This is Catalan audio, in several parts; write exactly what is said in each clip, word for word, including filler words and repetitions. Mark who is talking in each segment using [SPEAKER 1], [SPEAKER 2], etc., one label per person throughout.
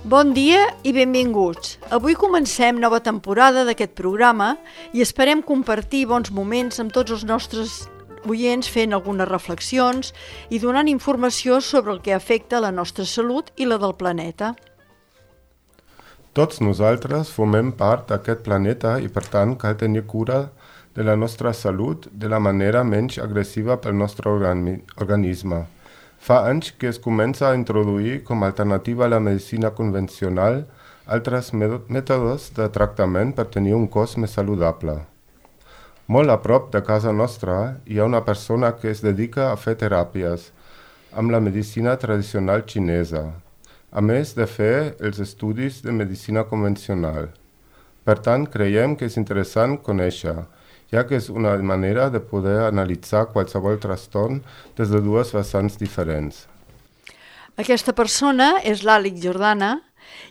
[SPEAKER 1] Bon dia i benvinguts. Avui comencem nova temporada d'aquest programa i esperem compartir bons moments amb tots els nostres oients fent algunes reflexions i donant informació sobre el que afecta la nostra salut i la del planeta.
[SPEAKER 2] Tots nosaltres formem part d'aquest planeta i per tant cal tenir cura de la nostra salut de la manera menys agressiva pel nostre organi- organisme. Fa anys que es comença a introduir com a alternativa a la medicina convencional altres mètodes de tractament per tenir un cos més saludable. Molt a prop de casa nostra hi ha una persona que es dedica a fer teràpies amb la medicina tradicional xinesa, a més de fer els estudis de medicina convencional. Per tant, creiem que és interessant conèixer, ja que és una manera de poder analitzar qualsevol trastorn des de dues vessants diferents.
[SPEAKER 1] Aquesta persona és l'Àlex Jordana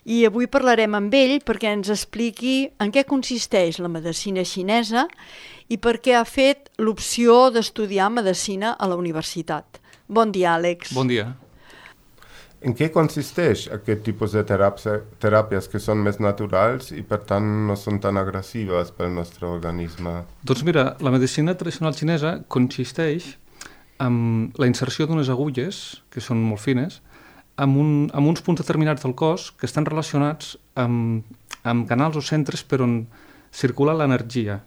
[SPEAKER 1] i avui parlarem amb ell perquè ens expliqui en què consisteix la medicina xinesa i per què ha fet l'opció d'estudiar medicina a la universitat. Bon dia, Àlex.
[SPEAKER 3] Bon dia.
[SPEAKER 2] En què consisteix aquest tipus de teràpies, teràpies que són més naturals i per tant no són tan agressives pel nostre organisme?
[SPEAKER 3] Doncs mira, la medicina tradicional xinesa consisteix en la inserció d'unes agulles, que són molt fines, amb, un, amb uns punts determinats del cos que estan relacionats amb, amb canals o centres per on circula l'energia.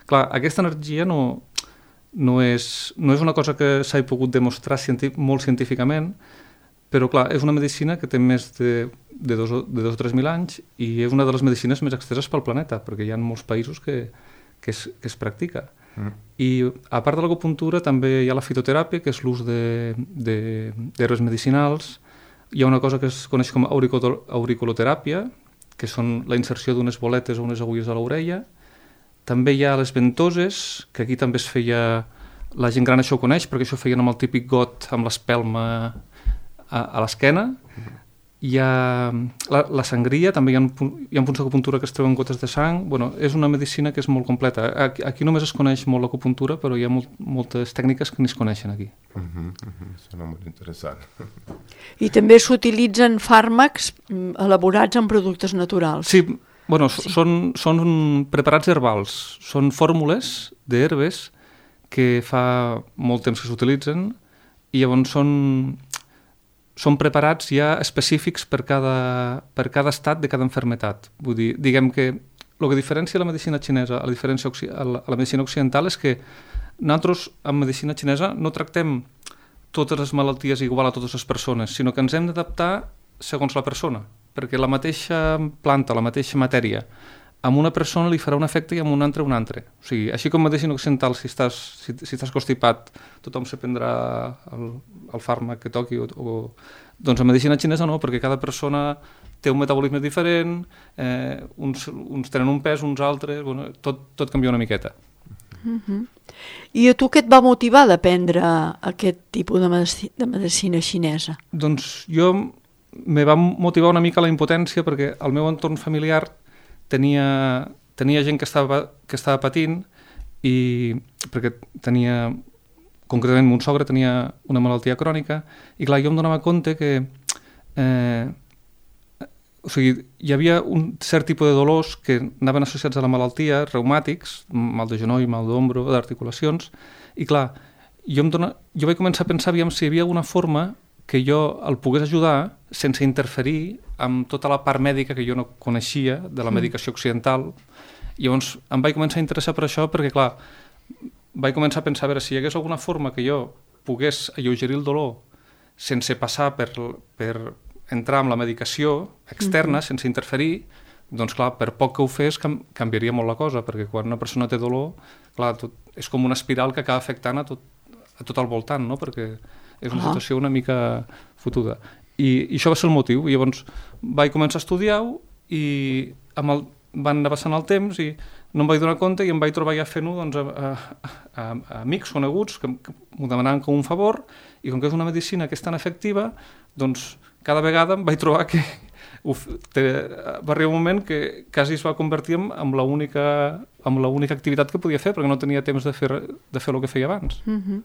[SPEAKER 3] Clar, aquesta energia no, no, és, no és una cosa que s'hagi pogut demostrar cienti, molt científicament, però clar, és una medicina que té més de, de, dos, de dos o tres mil anys i és una de les medicines més exteses pel planeta, perquè hi ha molts països que, que, es, que es practica. Mm. I a part de l'acupuntura també hi ha la fitoteràpia, que és l'ús d'herbes medicinals. Hi ha una cosa que es coneix com a auriculoteràpia, que són la inserció d'unes boletes o unes agulles a l'orella. També hi ha les ventoses, que aquí també es feia... La gent gran això ho coneix, perquè això ho feien amb el típic got, amb l'espelma a, a l'esquena. Hi ha la, la sangria, també hi ha, hi ha punts d'acupuntura que es treuen gotes de sang. Bueno, és una medicina que és molt completa. Aquí, aquí només es coneix molt l'acupuntura, però hi ha molt, moltes tècniques que ni es coneixen aquí.
[SPEAKER 2] Uh -huh, uh -huh. Sona molt interessant.
[SPEAKER 1] I també s'utilitzen fàrmacs elaborats amb productes naturals.
[SPEAKER 3] Sí, bueno, sí. Són, són preparats herbals, són fórmules d'herbes que fa molt temps que s'utilitzen i llavors són... són preparats ja específics per cada, per cada estat de cada malaltia. Vull dir, diguem que el que diferencia la medicina xinesa a la, diferència, a la, a la medicina occidental és que nosaltres, en medicina xinesa, no tractem totes les malalties igual a totes les persones, sinó que ens hem d'adaptar segons la persona, perquè la mateixa planta, la mateixa matèria, a una persona li farà un efecte i a un altre un altre. O sigui, així com medicina occidental, si estàs, si, si estàs constipat, tothom se prendrà el, el fàrmac que toqui, o, o... doncs en medicina xinesa no, perquè cada persona té un metabolisme diferent, eh, uns, uns tenen un pes, uns altres, bueno, tot, tot canvia una miqueta.
[SPEAKER 1] Uh-huh. I a tu què et va motivar d'aprendre aquest tipus de, medici, de medicina xinesa?
[SPEAKER 3] Doncs jo me va motivar una mica la impotència perquè el meu entorn familiar Tenia, tenia gent que estava, que estava patint i perquè tenia, concretament mon sogre tenia una malaltia crònica i clar, jo em donava compte que eh, o sigui, hi havia un cert tipus de dolors que anaven associats a la malaltia, reumàtics, mal de genoll, mal d'ombro, d'articulacions, i clar, jo, em dona, jo vaig començar a pensar aviam si hi havia alguna forma que jo el pogués ajudar sense interferir amb tota la part mèdica que jo no coneixia de la medicació occidental. I llavors em vaig començar a interessar per això perquè, clar, vaig començar a pensar a veure si hi hagués alguna forma que jo pogués alleugerir el dolor sense passar per, per entrar amb la medicació externa, uh-huh. sense interferir, doncs clar, per poc que ho fes cam- canviaria molt la cosa, perquè quan una persona té dolor, clar, tot, és com una espiral que acaba afectant a tot, a tot el voltant, no? Perquè és una situació una mica fotuda. I, i això va ser el motiu. I llavors vaig començar a estudiar-ho i amb el, van anar passant el temps i no em vaig donar compte i em vaig trobar ja fent-ho doncs, a, a, a, a amics coneguts que, que m'ho demanaven com un favor i com que és una medicina que és tan efectiva, doncs cada vegada em vaig trobar que uf, te, va arribar un moment que quasi es va convertir en, en l'única en l'única activitat que podia fer perquè no tenia temps de fer, de fer el que feia abans.
[SPEAKER 1] Uh-huh.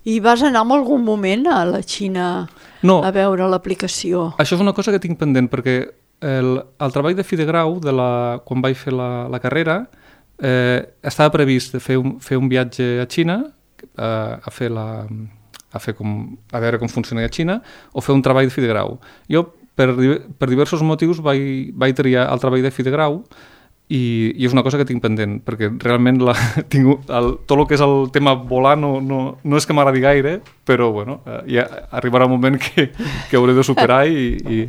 [SPEAKER 1] I vas anar en algun moment a la Xina
[SPEAKER 3] no,
[SPEAKER 1] a veure l'aplicació?
[SPEAKER 3] Això és una cosa que tinc pendent, perquè el, el treball de fi de grau, de la, quan vaig fer la, la carrera, eh, estava previst de fer un, fer un viatge a Xina, eh, a fer la... A, fer com, a veure com funciona a Xina, o fer un treball de fi de grau. Jo, per, per diversos motius, vaig, vaig triar el treball de fi de grau, i, i és una cosa que tinc pendent, perquè realment la, tinc, el, tot el que és el tema volar no, no, no és que m'agradi gaire, però bueno, ja arribarà un moment que, que hauré de superar, i, i,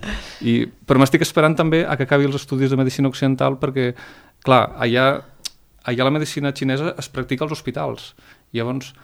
[SPEAKER 3] i, però m'estic esperant també a que acabi els estudis de medicina occidental, perquè, clar, allà, allà la medicina xinesa es practica als hospitals. Llavors,